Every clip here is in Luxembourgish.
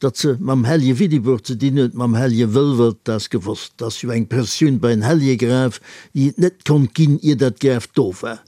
Datt se mam Hellje Willibrord ze dinn huet, mam Hellje Wëlwert, dat ass gewosst. 't ass jo eng Prëssioun bei en Helljegraf, déi et net konnt ginn, ier dat Graf do war.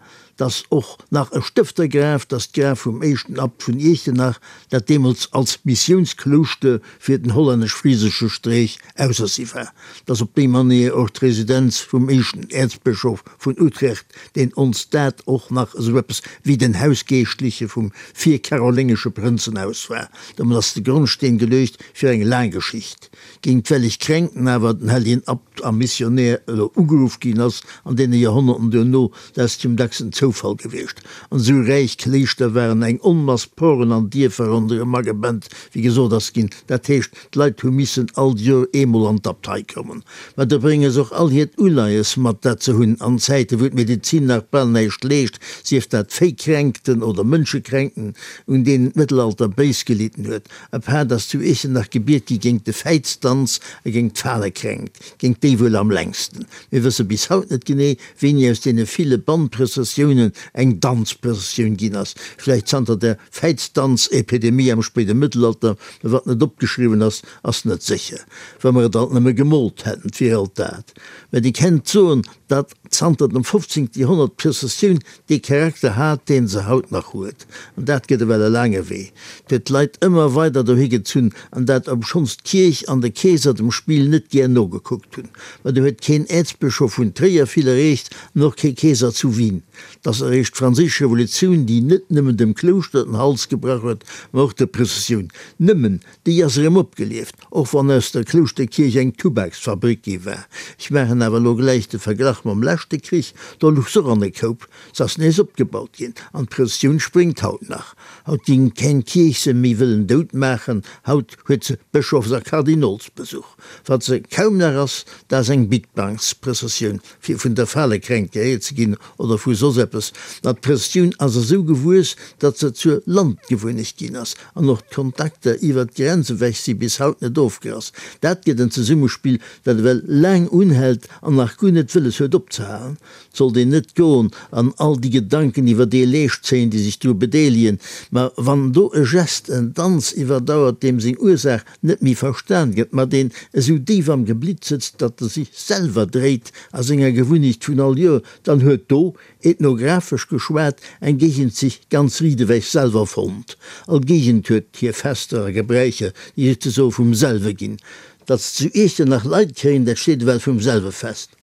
't ass och nach e Stëftergraf, 't ass d'Graf vum éischten Abt vun Iechternach, dat deemools als Missiounsklouschter fir den hollännesch-frisesche Streech ausersi war. 't ass op déi Manéier och d'Residenz vum éischten Äerzbëschof vun Utrecht, deen ons dat och nach esou eppes wéi den Hausgeeschtliche vum virkaroléngesche Prënzenhaus war. Domat ass de Grondsteen geluecht fir eng laang Geschicht. Géint welch Kränkten awer den helljen Abt a Missionär elo ugeruff ginn ass an deene Joerhonnerten duerno, dat ass zum dacksen Zoufall gewiescht. An esou räich Kléischter waren eng Onmass Poren an Dierfer ronderëm agebent, wéi gesot ass ginn. Dat heescht, D'Leit hu missen all Joer eemol an d'Abtei kommen. Mä do brénge se och all hiert Uleies mat, dat se hunn. An Zäiten, wou d'Medezin nach bal näischt leescht, sief dat Véikränkten oder Mënschekränkten, un deenen d'Mëttelalter béis gelidden huet. Apaart ass zu Iechternach gebiet gi géingt de Fäizdanz a géingt d'Falekränkt, géingt déi wuel am längsten. Mir wësse bis haut net genee, wéini aus deene ville Bannprëssessiounen eng Danzprëssessioun ginn ass, vläicht zanter der Fäizdanzepidemie am spéide Mëttelalter, mä wat net opgeschriwwen ass, ass net sécher. Wa mer et alt nëmme gemoolt hätten, 't wier alt dat. Mä Dir kennt soen, datt zanter dem 15. Joerhonnert d'Prëssessioun dee Charakter hat, deen se haut nach huet. An dat gëtt ewell e laange Wee. 't huet d'Leit ëmmer weider dohi gezunn, an dat obschonns d'Kierch an de Keeser dem Spill net gär nogekuckt hunn. Mä do huet keen Äerzbëschof vun Tréier vill erreecht an och kee Keeser zu Wien. 't ass eréischt d'Franséisch Revolutioun, déi net nëmmen dem Klouschter den Hals gebrach huet, mä och der Prëssessioun. Nëmmen déi ass erëm opgelieft, och wann aus der Klouschterkierch eng Tubaksfabrik gi war. Ech maachen awer elo gläich de Verglach mam leschte Krich, do luch s'och an e Koup. S'ass nees opgebaut ginn an d'Prëssessioun spréngt haut nach. Haut ging keng Kierch se méi wëllen dout maachen, haut huet se Bëschofs a Kardinolsbesuch. Wat se kaum nach ass, dat ass eng Bigbanksprëssessioun, fir vun der Falekränkt geheelt ze ginn oder vu soss eppes. Ma d'Prëssessioun ass esou gewuess, datt se zur Landgewunnecht ginn ass an och d'Kontakter iwwer d'Grenz ewech si bis haut net ofgerass. Dat gëtt en Zesummespill, dat ewell laang unhält an nach guer net wëlles huet opzehalen. 't sollt een net goen an all déi Gedanken iwwer dee Leescht zéien, déi sech dru bedeelegen, ma wann do e Gest, en Danz iwwerdauert, deem seng Ursaach net méi verstan gëtt, ma deen esou déif am Geblitt sëtzt, datt e sech selwer dréit a senger Gewunnecht vun all Joer, dann huet do, ethnographesch geschwat, eng Géigend sech ganz riit ewech selwer fonnt. All Géigend huet hir Fester a Gebräicher, déi souzesoe vum selwe ginn. Datt se zu Iechternach Leit kréien, dat steet ewell vum selwe fest.